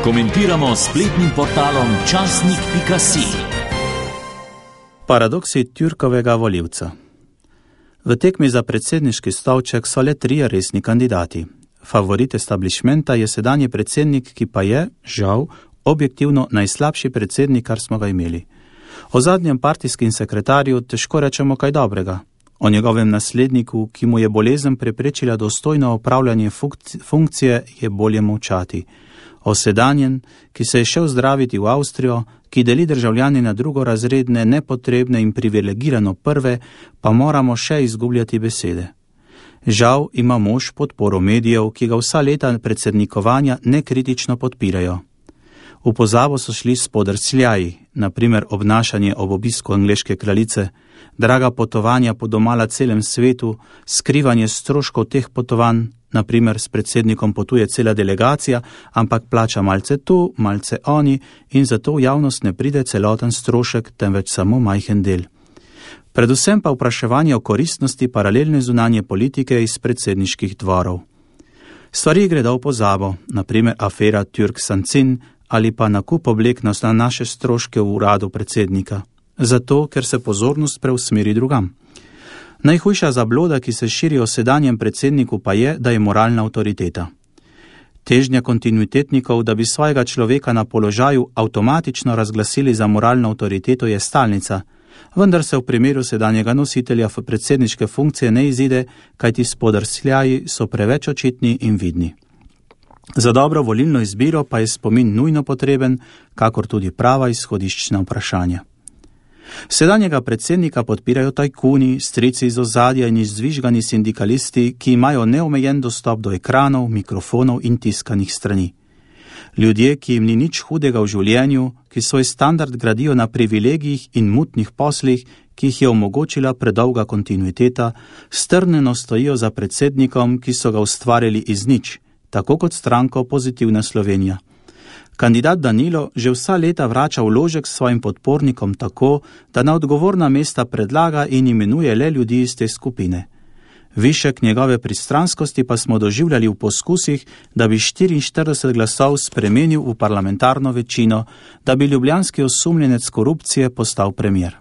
Komentiramo s spletnim portalom časnik.si. Paradoksi Türkovega volivca. V tekmi za predsedniški stolček so le 3 resni kandidati. Favorit establishmenta je sedanji predsednik, ki pa je, žal, objektivno najslabši predsednik, kar smo ga imeli. O zadnjem partijskem sekretarju težko rečemo kaj dobrega. O njegovem nasledniku, ki mu je bolezen preprečila dostojno opravljanje funkcije, je bolje molčati. O sedanjem, ki se je šel zdraviti v Avstrijo, ki deli državljani na drugorazredne, nepotrebne in privilegirano prve, pa moramo še izgubljati besede. Žal ima mož podporo medijev, ki ga vsa leta predsednikovanja nekritično podpirajo. V pozabo so šli spodrsljaji, naprimer obnašanje ob obisku angleške kraljice, draga potovanja po domala celem svetu, skrivanje stroškov teh potovanj, naprimer s predsednikom potuje cela delegacija, ampak plača malce tu, malce oni in zato v javnost ne pride celoten strošek, temveč samo majhen del. Predvsem pa vprašanje o koristnosti paralelne zunanje politike iz predsedniških dvorov. Stvari gredo v pozabo, naprimer afera Türk-Sancin ali pa nakup oblek na naše stroške v uradu predsednika. Zato, ker se pozornost preusmeri drugam. Najhujša zabloda, ki se širi o sedanjem predsedniku, pa je, da je moralna avtoriteta. Težnja kontinuitetnikov, da bi svojega človeka na položaju avtomatično razglasili za moralno avtoriteto, je stalnica, vendar se v primeru sedanjega nositelja predsedniške funkcije ne izide, kajti spodrsljaji so preveč očitni in vidni. Za dobro volilno izbiro pa je spomin nujno potreben, kakor tudi prava izhodiščna vprašanja. Sedanjega predsednika podpirajo tajkuni, strici iz ozadja in izzvižgani sindikalisti, ki imajo neomejen dostop do ekranov, mikrofonov in tiskanih strani. Ljudje, ki jim ni nič hudega v življenju, ki svoj standard gradijo na privilegijih in mutnih poslih, ki jih je omogočila predolga kontinuiteta, strnjeno stojijo za predsednikom, ki so ga ustvarili iz nič, tako kot stranko Pozitivna Slovenija. Kandidat Danilo že vsa leta vrača vložek svojim podpornikom tako, da na odgovorna mesta predlaga in imenuje le ljudi iz te skupine. Višek njegove pristranskosti pa smo doživljali v poskusih, da bi 44 glasov spremenil v parlamentarno večino, da bi ljubljanski osumljenec korupcije postal premier.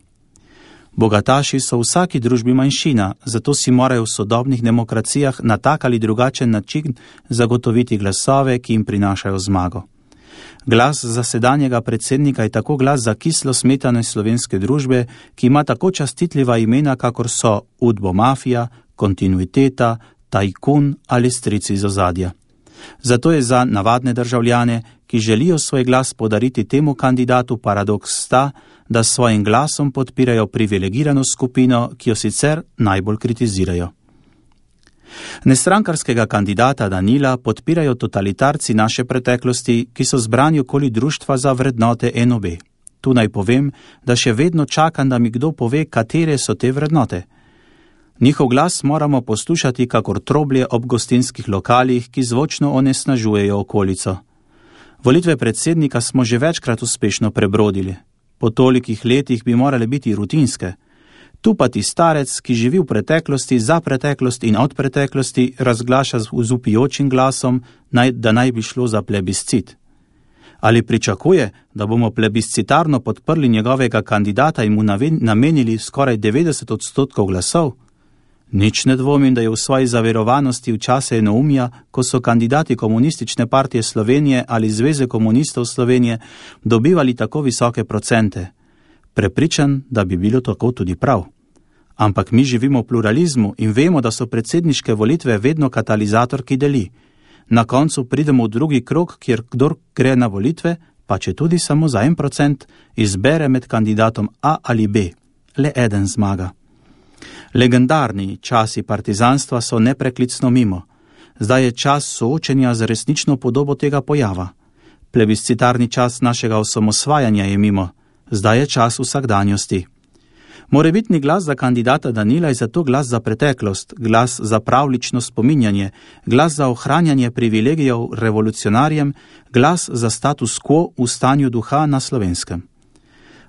Bogataši so v vsaki družbi manjšina, zato si morajo v sodobnih demokracijah na tak ali drugačen način zagotoviti glasove, ki jim prinašajo zmago. Glas za sedanjega predsednika je tako glas za kislo smetane slovenske družbe, ki ima tako častitljiva imena, kakor so udbomafija, kontinuiteta, tajkun ali strici iz ozadja. Zato je za navadne državljane, ki želijo svoj glas podariti temu kandidatu, paradoks ta, da s svojim glasom podpirajo privilegirano skupino, ki jo sicer najbolj kritizirajo. Nestrankarskega kandidata Danila podpirajo totalitarci naše preteklosti, ki so zbrani okoli društva za vrednote NOB. Tu naj povem, da še vedno čakam, da mi kdo pove, katere so te vrednote. Njihov glas moramo poslušati kakor troblje ob gostinskih lokalih, ki zvočno onesnažujejo okolico. Volitve predsednika smo že večkrat uspešno prebrodili. Po tolikih letih bi morale biti rutinske. Tu pa ti starec, ki živi v preteklosti, za preteklost in od preteklosti, razglaša z vpijočim glasom, da naj bi šlo za plebiscit. Ali pričakuje, da bomo plebiscitarno podprli njegovega kandidata in mu namenili skoraj 90% glasov? Nič ne dvomim, da je v svoji zaverovanosti v čase enoumja, ko so kandidati Komunistične partije Slovenije ali Zveze komunistov Slovenije dobivali tako visoke procente. Prepričan, da bi bilo tako tudi prav. Ampak mi živimo v pluralizmu in vemo, da so predsedniške volitve vedno katalizator, ki deli. Na koncu pridemo v drugi krog, kjer kdor gre na volitve, pa če tudi samo za 1%, izbere med kandidatom A ali B. Le eden zmaga. Legendarni časi partizanstva so nepreklicno mimo. Zdaj je čas soočenja z resnično podobo tega pojava. Plebiscitarni čas našega osamosvajanja je mimo. Zdaj je čas vsakdanjosti. Morebitni glas za kandidata Danila je zato glas za preteklost, glas za pravlično spominjanje, glas za ohranjanje privilegijev revolucionarjem, glas za status quo v stanju duha na Slovenskem.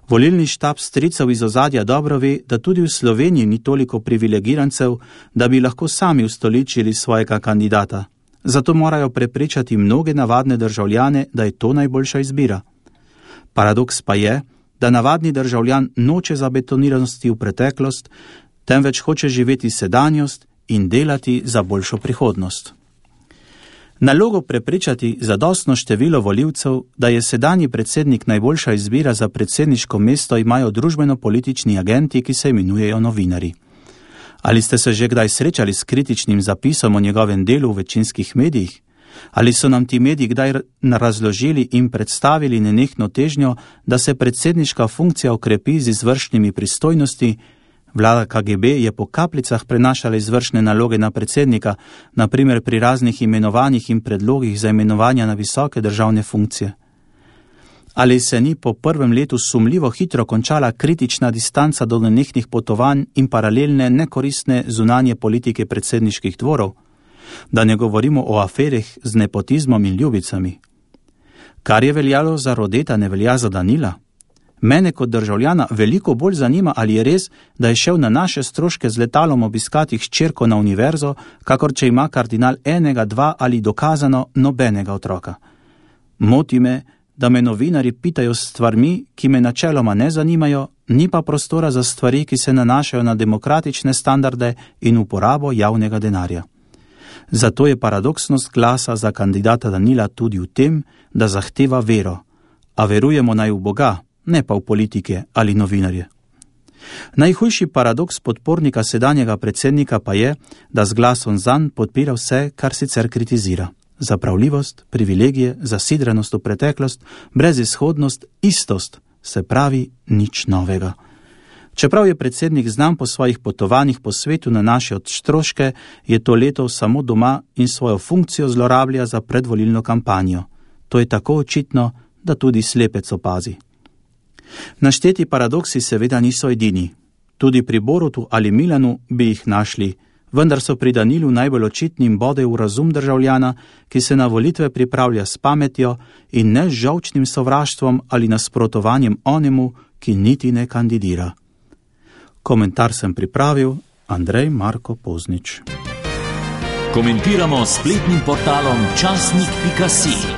Volilni štab stricev iz ozadja dobro ve, da tudi v Sloveniji ni toliko privilegirancev, da bi lahko sami ustoličili svojega kandidata. zato morajo prepričati mnoge navadne državljane, da je to najboljša izbira. Paradoks pa je, da navadni državljan noče zabetoniranosti v preteklost, temveč hoče živeti sedanjost in delati za boljšo prihodnost. Nalogo prepričati zadostno število volivcev, da je sedanji predsednik najboljša izbira za predsedniško mesto, imajo družbeno-politični agenti, ki se imenujejo novinarji. Ali ste se že kdaj srečali s kritičnim zapisom o njegovem delu v večinskih medijih? Ali so nam ti mediji kdaj razložili in predstavili nenehno težnjo, da se predsedniška funkcija okrepi z izvršnimi pristojnosti? Vlada KGB je po kapljicah prenašala izvršne naloge na predsednika, na primer pri raznih imenovanjih in predlogih za imenovanja na visoke državne funkcije. Ali se ni po prvem letu sumljivo hitro končala kritična distanca do nenehnih potovanj in paralelne nekoristne zunanje politike predsedniških dvorov? Da ne govorimo o aferih z nepotizmom in ljubicami. Kar je veljalo za Rodeta, ne velja za Danila? Mene kot državljana veliko bolj zanima, ali je res, da je šel na naše stroške z letalom obiskati hčerko na univerzo, kakor če ima kardinal enega, dva ali dokazano nobenega otroka. Moti me, da me novinari pitajo s stvarmi, ki me načeloma ne zanimajo, ni pa prostora za stvari, ki se nanašajo na demokratične standarde in uporabo javnega denarja. Zato je paradoksnost glasa za kandidata Danila tudi v tem, da zahteva vero, a verujemo naj v Boga, ne pa v politike ali novinarje. Najhujši paradoks podpornika sedanjega predsednika pa je, da z glasom zanj podpira vse, kar sicer kritizira. Zapravljivost, privilegije, zasidranost v preteklost, brezizhodnost, istost, se pravi nič novega. Čeprav je predsednik znan po svojih potovanjih po svetu na naše stroške, je to leto samo doma in svojo funkcijo zlorablja za predvolilno kampanjo. To je tako očitno, da tudi slepec opazi. Našteti paradoksi seveda niso edini. Tudi pri Borutu ali Milanu bi jih našli, vendar so pri Danilu najbolj očitni in bodejo v razum državljana, ki se na volitve pripravlja s pametjo in ne z žolčnim sovraštvom ali nasprotovanjem onemu, ki niti ne kandidira. Komentar sem pripravil Andrej Marko Poznič. Komentiramo s spletnim portalom časnik.si.